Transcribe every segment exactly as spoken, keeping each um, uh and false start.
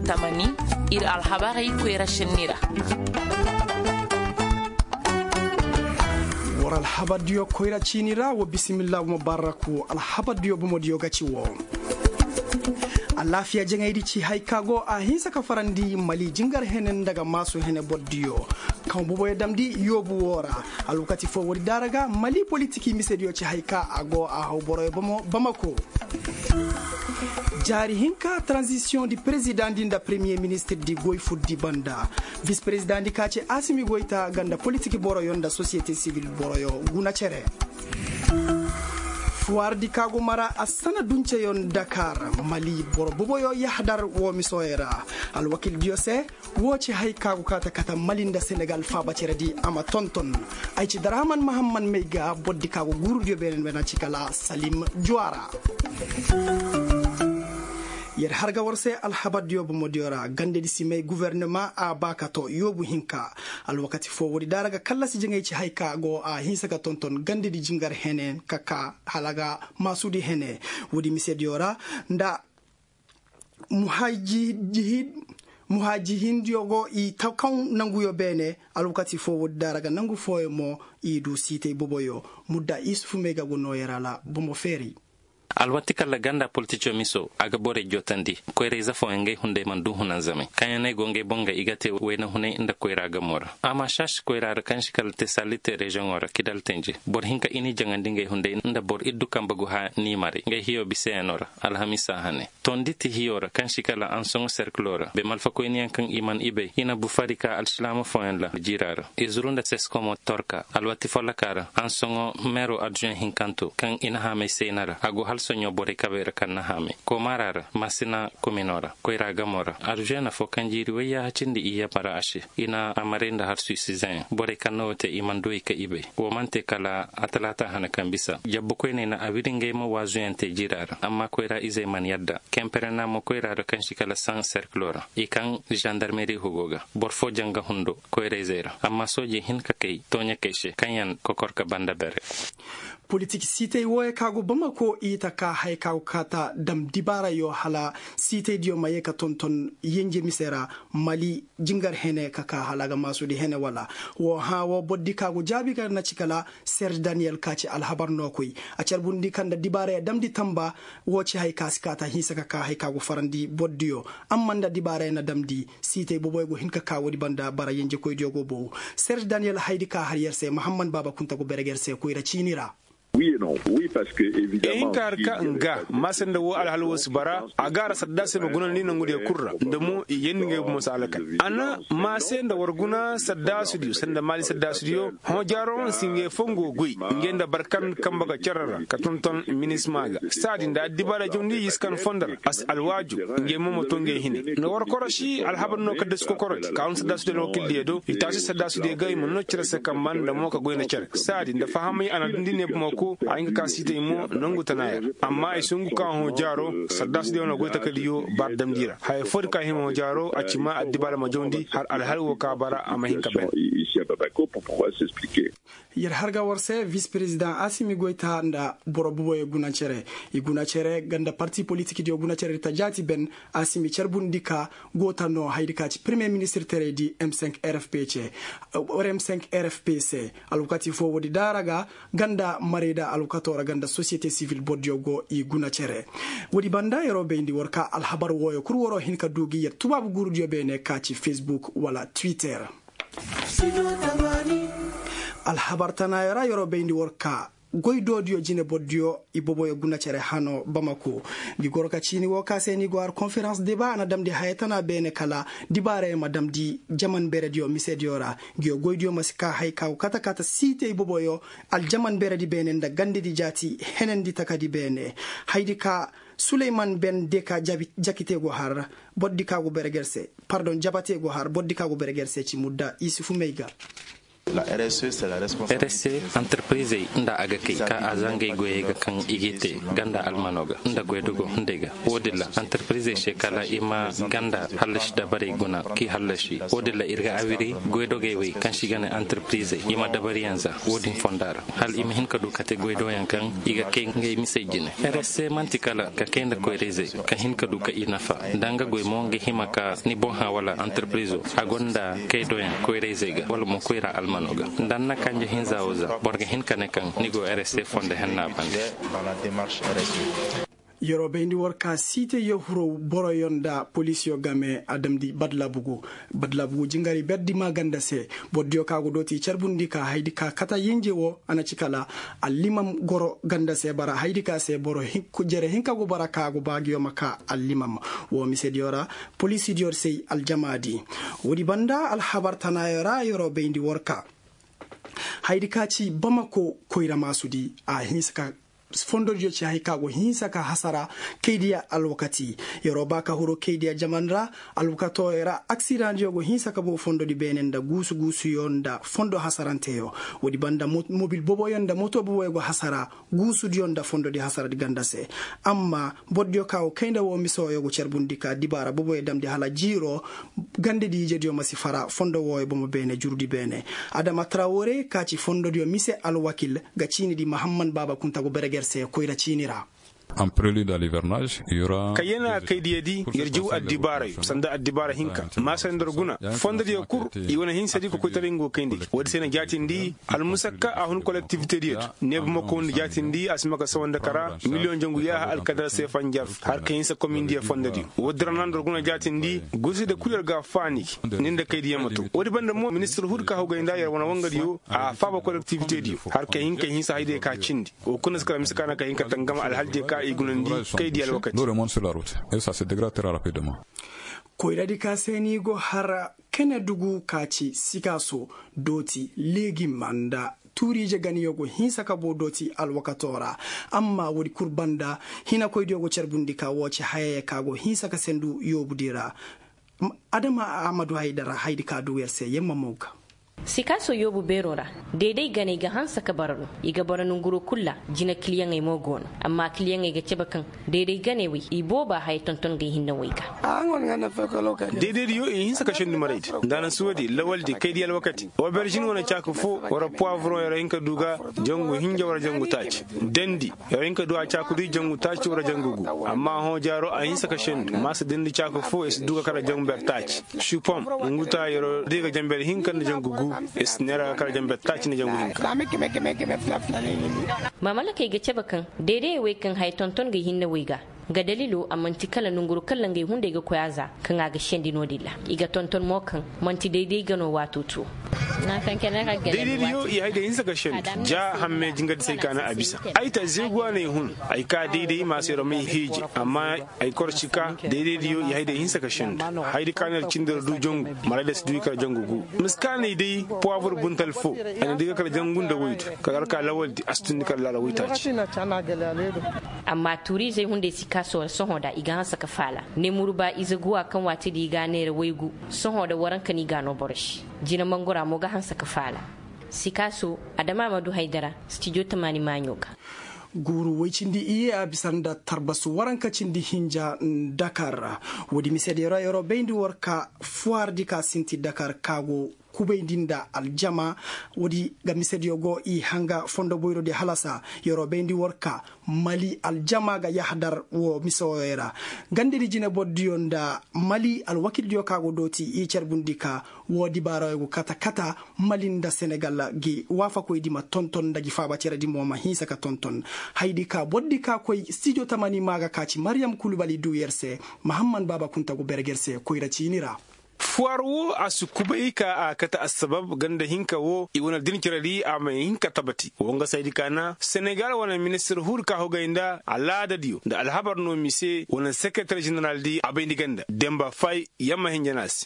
Tamani, ir alhabarey koyra sinni ra. War alhabardiyo koyra ciini ra, wa bisimilla mubaraku. Alhabardiyo bomodiyo ga ci wo. Alaafiya jaŋaydi ci hay ka go a hinsa ka farandi mali jingar hene nda ga maasu hene bordiyo, kaŋ boboyo damndi yoobu woo ra. Alwakati foo woodi daara ga mali politiki misediyo ci hay ka a go a haw boroyo bamako. Jaari hinka taranzisiyoŋ di perezidaŋ di nda peremiye ministir di goy fur di banda. Vis perezidaŋ di ka ci asimi goyta ganda politiki boroyo nda sosiyete sivil boroyo guna cere. Fuwaar di ka go mara a sana dunceyo nda kaara mali boro boboyo yahadar woo misoyo ra. Alwakil diyo se woo ci hay ka go kaata kata mali nda senegal faaba cere di a ma tonton. Ay ci darahaman mahamman may ga boro di ka go guuru diyo beene beene ci kala salim juwaara. Yer har ga war se alhabar diyo bomo diyo ra gande di si may guvernema a ba ka to yoobu hinka. Alwakati foo woodi daara ga kallasi jaŋay ci hay ka go a hinsa ga tonton gande di jingar hene ka ka hala ga maasudi hene. Woodi mise diyo ra nda muhajihid muhajihindiyo go i ta kaŋ nanguyo beene. Alwakati foo woodi daara ga nangu fooyo mo i du siitay boboyo. Mudda isufu may ga go nooyey ra la bomo feeri. Alwati kala ganda politico miso a ga borey jootandi koyra ize fooyaŋ ngey hunday mana du hunanzamey kaŋyaŋ no ay go ngey boŋ ga i ga te wayna hunay nda koyra gamo ra. Amma saasi koyra ra kaŋ si kala te saalite reziyoŋo ra kidal tenje boro hinka i n'i jaŋandi ngey hunday nda boro iddu kambe go haa n'i maray ngey hiyo biseyaŋo ra. Alhamiisa hane tondi ti hiyo ra kaŋ si kala ansoŋo serkilo ra be malfakoyniyaŋ kaŋ i mana i bay i na bufari ka alsilaama fooyaŋ la jiira ra. Izuru nda seskomo torka alwati folloka ra ansoŋo meero adzuwen hinkanto kaŋ i na haamay sayna ra a go hala soɲõ borey kabey ra kaŋ na haamay komaara ra masina komino ra koyra gamo ra. Adzuwen fo kaŋ jiiri wayyaaha cindi i yabara a se i na a maray nda harsu i si zayaŋ borey kaŋ na woo te i mana du i ka i bay. Woo mana te kala atalaata hane kaŋ bisa jabbukoyney na a wiri ngey ma waazuyaŋ te jiira ra amma koyra izey mana yadda kemperena mo koyra ra kaŋ si kala saŋ serkilo ra i kaŋ zandarmeri hugo ga boro foo jaŋ ga hundo koyra izey ra amma soojey hin ka kay tooɲakey se kaŋyaŋ kokor ka banda bere. Politik siitay wooyo ka go bamako i ta ka haya ka go kaata dam dibaarayo hala siitaydiyo ma ye ka tonton yenje mise ra mali jingar hene ka ka hala ga maasudi hene wala. Woo hã woo bordi ka go jaabi ga na ci kala serge daniyel ka ci alhabar nookoy a carbundi ka nda dibaaraya damndi tamba. Woo ci hay ka si kaata hinsa ka ka hay ka go farandi bordiyo amma nda dibaaraya na damndi siitay boboyo go hin ka ka woodi banda bara yenjekoydiyo go bow. Serge daniyel haydi ka har yer se mahamman baaba kunta go bereg yer se koyra ciini ra. Ehinka har ka nga maase nda woo alhal woo si bara a gaara saddaasi ma gunandi nangudiyo kul ra nda mo i yeendi ngey bomo si alakal. A na maase nda war guna saddaasidiyo sanda maali saddaasidiyo hõ jaaro si ngey fongo goy ngey nda barkan kambe ga cere ra ka tonton minisma ga saadi nda addibaara jawndi i si kan fondo ra a si alwaaju. Ngey mo ma to ngey hine nda war korosi alhabar no ka dasi kokorodi ka hun saddaasidiyo na wakildiyo do i taasi saddaasidiyo ga i ma no cere se kambe nda mo ka goy nda cere saadi nda fahamay a na dundi ne bomo ko a hin ka ka siitay mo nangu tana yer. Amma ay sungu ka hõ jaaro saddaasidiyo na goy takadiyo baara damndi ra haya foodi ka hima hõ jaaro a ci ma addibaara ma jawndi har alhal woo ka bara a ma hin ka ben. Yer har ga war se vis perezidaŋ asimi goyta nda boro boboyo guna cere i guna cere ganda parti politikidiyo guna cere ta jaati ben. Asimi carbundi ka goota no haydi ka ci peremiye ministir terey di m cinq r f p ce. Or m cinq r f p c alwakati foo woodi daara ga ganda marayda alwakato ra ganda sosiyete sivil bordiyo go i guna cere. Woodi banda yeroo bayndi war ka alhabar wooyo kul waroo hin ka duu gi yer tubaabu guurudiyo beene ka ci fesbuk wala twitter. Alhabar tanaayo ra yeroo bayndi war ka goy doodiyo jine bordiyo i boboyo guna cere hano bamako. Ngi goro ka ciini woo ka se ni go har konferans deba a na damndi haya tana beene kala dibaarayo ma damndi jaman berediyo misediyo ra. Ngiyo goydiyo ma si ka hay ka go kata kata siitey boboyo aljaman beredi beene nda gandedi jaati henendi takadi beene. Haydi ka suleyman ben deka jakite go har bordi ka go bereger se pardon jabate go har bordi ka go bereger se ci mudda isufu may ga. Rse antarpirizey nda a ga kay ka a zangay goyey ga kaŋ i g'i te ganda almano ga nda goydogo hunday ga. Wo-din ra antarpirizey se kala i ma ganda hallasi dabarey guna k'i hallasi. Wo-din ra ir ga awiri goydogey wey kaŋ se i ga ne antarpirizey i ma dabariyaŋ za wo-din fonda ra, hala i ma hin ka du ka te goydoyaŋ kaŋ i ga kay ngey misey jine. Rse man'ti kala ka kay nda koyra-izey ka hin ka du ka i nafa nda nga goy mo nga hima ka ni boŋ hã wala antarpirizo a gonda kaydoyaŋ koyra-izey ga wala mo koyra almano ga. Nda ni na kanje hinza wo za boro ga hin ka ne kaŋ ni go rse fondo henna bande. Yeroo bayndi war ka siite yahuroo boroyoo nda poliisiyoo game a damndi badlabugu. Badlabugu jingaray berdi maa ganda se. Bordiyo ka go dooti carbundi ka haydi ka kata yinje woo a na ci kala allimam goro ganda se bara haydi ka se boro jere hinka go bara ka go baagiyo ma ka allimam. Woo misediyo ra poliisidiyo se aljamaadi. Woodi banda alhabar tanaayo ra yeroo bayndi war ka haydi ka ci bamako koyra maasudi a hinsa ka fondodiyo ci hay ka go hinsa ka hasara kaydiya alwakati. Yeroo ba ka huru kaydiya jaman ra alwakatoo ra aksidaŋdiyo go hinsa ka boo fondodi beene nda guusu guusuyo nda fondo hasaranteyo. Woodi banda mobil boboyo nda moto boboyo go hasara guusudiyo nda fondodi hasaradi ganda se. Amma bordiyo ka go kay nda woo misooyo go carbundi ka dibaara boboyo damndi hala jiiroo gandedi ijediyo ma si fara fondo wooyo bomo beene jurudi beene. Adama trawore ka ci fondodiyo mise alwakil ga ciini di mahamman baaba kunta go bereger se koyra ciini ra. Ka yana kaydiyadi yer jaw addibaarayo sanda addibaara hinka maasay nda yer guna fondodiyo kul i wane hinsadi ka koytaray nga go kayndi. Woodi se na jaatindi almusakka a hun kolektivitediyo di neeba ma koy nda jaatindi a si ma ka sawa nda kara miliyoŋ jangu yaaha alkadar se fanjar har ka hinsa komindiyo fondodiyo. Woodi ra na nda yer guna jaatindi gurside kul yer ga a faani ni nda kaydiyo ma to. Woodi banda mo ministir huudi ka hawgay nda yer wane wangadiyo a faaba kolektivitediyo har ka hin ka hinsa haydiyo ka cindi. Wo kuna si kala mise ka na ka hin ka tangam alhaldiyo ka i gunandi kaydiyo alwakati. Koyradi ka se ni go har kene dugu ka ci sikaaso dooti leegim nda tuuriije ganiyo go hinsa ka boo dooti alwakatoo ra. Amma woodi kul banda hinakoydiyo go carbundi ka woo ci hayaya ka go hinsa ka sendu yoobudi ra. Adama ahmadu haydara haydi ka duu yer se yemma mo ga. Sikaasoo yoobu beeroo ra deeday ganey ga hanse ka bara no. I ga bara nonguroo kul ra jina kiliyaŋey mo go no. Amma kiliyaŋey ga cabe kaŋ deeday ganey wey i booba haya tonton ga i hinne wey ga. Deedaydiyo i hinse ka sendu maraydi nda a na si woodi lawaldi kaydi alwakati oberžin wane caaka foo wara puwaavuroŋ yer hin ka du ga jangu hinja wara jangu taaci. Dandi yer hin ka du a caaku di jangu taaci wara jangu gu. Amma hõ jaaro a hinse ka sendu maasa dandi caaka foo yer si du ga kala jangu ber taaci. Supom ngu ta yeroo day ga janber hinka nda jangu gu. Yer si neera ga kala janber taaci nda jangu hinka. Mamalakey ga cabe kaŋ deedayey wey kaŋ haya tonton ga i hinne wey ga. Nga daliloo a man'ti kala nonguru kala ngey hunday ga koy a za kaŋ a ga sendi no-din ra. I ga tonton mo kaŋ man'ti dayday ga no waato too. Dayday diyo i hay ga hinsa ga sendi ja hamme jingadisey ka na a bisa. Ay ta zeeguwa no ay hun ay ka dayday ma se ra may hiiji amma ay kor si ka dayday diyo i hay ga hinsa ga sendi. Haydi ka no yer cindi ra du jangu maray da si du i kala jangu gu. Miskaaney day puwabur buntal foo ay na di ga kala jangu nda waydu. Kala alka lawaldi a si tundi kala laala waytaaci. Amma tuuriizey hunday si ka sohõ da i ga hanse ka faala. Nemuru ba ize guwa kaŋ waati di i ga a neera waygu. Sohõ da waranka no i ga a noo boro se. Jina mangora mo ga hanse ka faala. Sikaaso adama ma du haydara stijo tamaani maaɲo ga. Guuru woy cindi iyye a bisa nda tarbasu waranka cindi hinja. Dakar ra woodi mise di ra yeroo bayndi war ka fuwaardi ka sinti dakar ka go kubayndi nda aljama. Woodi ga misediyo go i hanga fondo boyrodi halasa yeroo bayndi war ka mali aljama ga yahadar wo mise woyoy ra. Gandedi jinebordiyo nda mali alwakildiyo ka go dooti i carbundi ka wo dibaarayo go kata kata mali nda senegal gi waafakoydi ma tonton nda gi faaba ceredi mo ma hinsa ka tonton. Haydi ka bordi ka koy stijo tamani maaga ka ci mariyam kulubali duu yer se. Mahamman baaba kunta go berger se koyra ciini ra. Fuwar woo a si kubay ka a kate assabab ganda hinka woo i wane din ceredi a ma hin ka tabati woo nga saydi ka na senegal wane ministir huudi ka hogay nda alaadadiyo nda alhabar no mise wane sekereter ženeraldi a bayndi ganda demba fay yamma hinja no a se.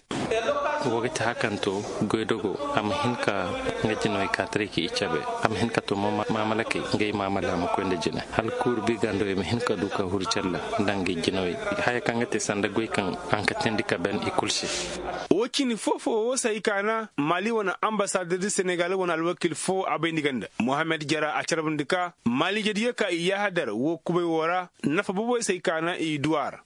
Wo ga ti hakanto goydogo a ma hin ka nga jinawey kaataray ka i cabe. A ma hin ka to mo maamalakey nga i maamala ma koy nda jine hala kuuru bi gandawey ma hin ka du ka huru calla nda nga i jinawey. Haya kaŋ ga te sanda goy kaŋ a nka teendi ka ben i kul se. Wo cindi foo-foo wo se ay kaana maali wane ambasader di senegal wane alwakil foo a bayndi ganda mohammed jara a carbundi ka maali jadiyo ka i yaahadar wo kubay woo ra. Nafa boboy se ay kaana i du a ra.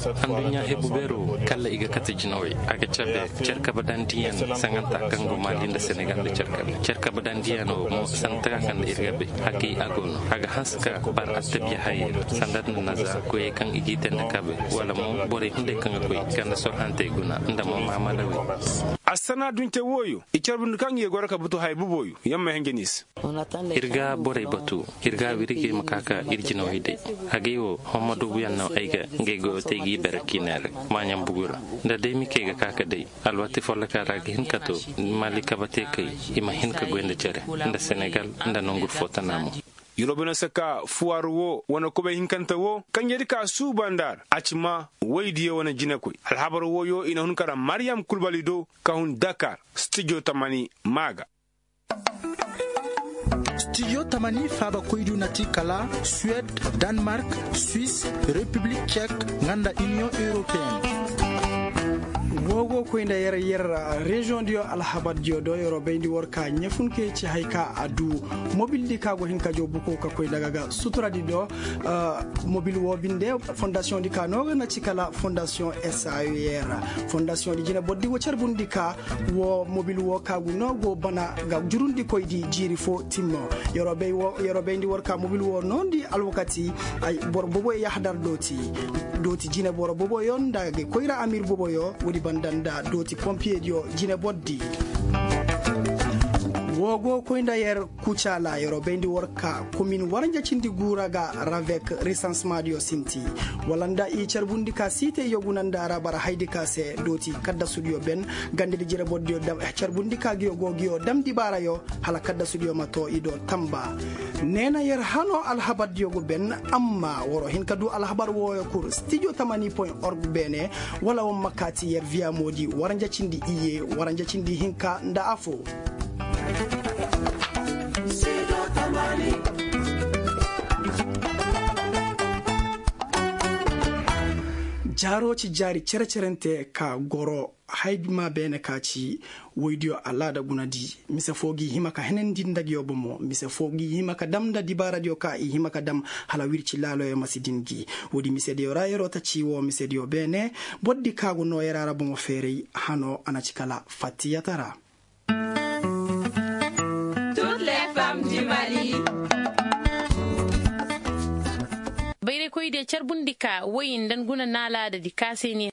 Adduɲɲa hebu beero kalla i ga kate jinawey a ga cabe. Cer kabadandiyaŋ saŋanta kaŋ go maali nda senegal nda cer kabe cer kabadandiyaŋ wo mo sanda taga kaŋ nda ir ga bay. Hakay a go no a ga hanse ka bar attabiya hayey ra sanda nda naza koyey kaŋ i g'i te nda kabe wala mo borey hunday kaŋ ga koy ganda sorhantey guna nda mo maamalawey. Assana dunte wooyo i carbundi kaŋ i ga goro ka butu haya boboyo. Yamma henje ni se. Ir ga borey batu ir ga wirigey ma ka ka ir jinawey day. Agay wo homma duubuyaŋ no ay ga ngey goyo te ay g'i bere kiinay ra. Maaɲaŋ bugu ra nda day mikey ga ka ka day alwati folloka ra ga hin ka to. Mali kabateekey i ma hin ka goy nda cere nda senegal nda nongur fo tana mo. Yurobino se ka fuwar wo wane kubay hinkante wo kanjedi ka suuba nda ra a ci ma woydiyo wane jinekoy alhabar woyo i na hun kara mariyam kulbali do ka hun dakar. Stijo tamani maa ga. Stijo tamani faabakoydu na ti kala suwed, danmark, suis, repiblik cek, nga nda iniyoŋ europeen. Woo go koy nda yer yer reziyoŋ diyo alhabar diyo do yeroo bayndi war ka ɲefun kee ci haya ka a duu. Mobil di ka go hin ka joo bukoo ka koy daga ga sutura di do. Mobil woo binde fondasiyoŋ di ka no ga na ci kala fondasiyoŋ saer. Fondasiyoŋ di jinebor di wo carbundi ka wo mobil wo ka gu no go bana ga jurundikoy di jiiri fo timmo. Yeroo bayndi war ka mobil wo noondi alwakati boro boboyo yahadar dooti. Dooti jineboro boboyo nda ga koyra amir boboyo woodi banda nda dooti pompiyediyo jinebor di. Woo go koy nda yer kucaala yeroo bayndi war ka komin waranja cindi guura ga ravek resansemaadiyo sinti. Wala nda i carbundi ka siitey yogunanda ra bara haydi ka se dooti kaddasudiyo ben. Gandedi jirebordiyo carbundi ka giyo go giyo dam dibaarayo hala kaddasudiyo ma too i do tamba. Neena yer hanoo alhabardiyo go ben. Amma waroo hin ka duu alhabar wooyo kul stijo tamani point org beene. Wala war ma kaati yer viyamoodi waranja cindi iyye waranja cindi hinka nda afoo. Jaaroo ci jaari cere-cerente ka goro haydi maa beene ka ci. Woydiyo alaada guna di mise foo g'i hima ka henandi nda giyo bomo mise foo g'i hima ka dam nda dibaaradiyo ka i hima ka dam hala wirci laaloyo ma si din gi. Woodi misediyo ra yeroo ta ci woo misediyo beene. Boro di ka go noo yera ra bomo feeray hanoo a na ci kala fattiyata ra. Bayraykoydiyo carbundi ka woy nda nguna naalaada di ka se ne.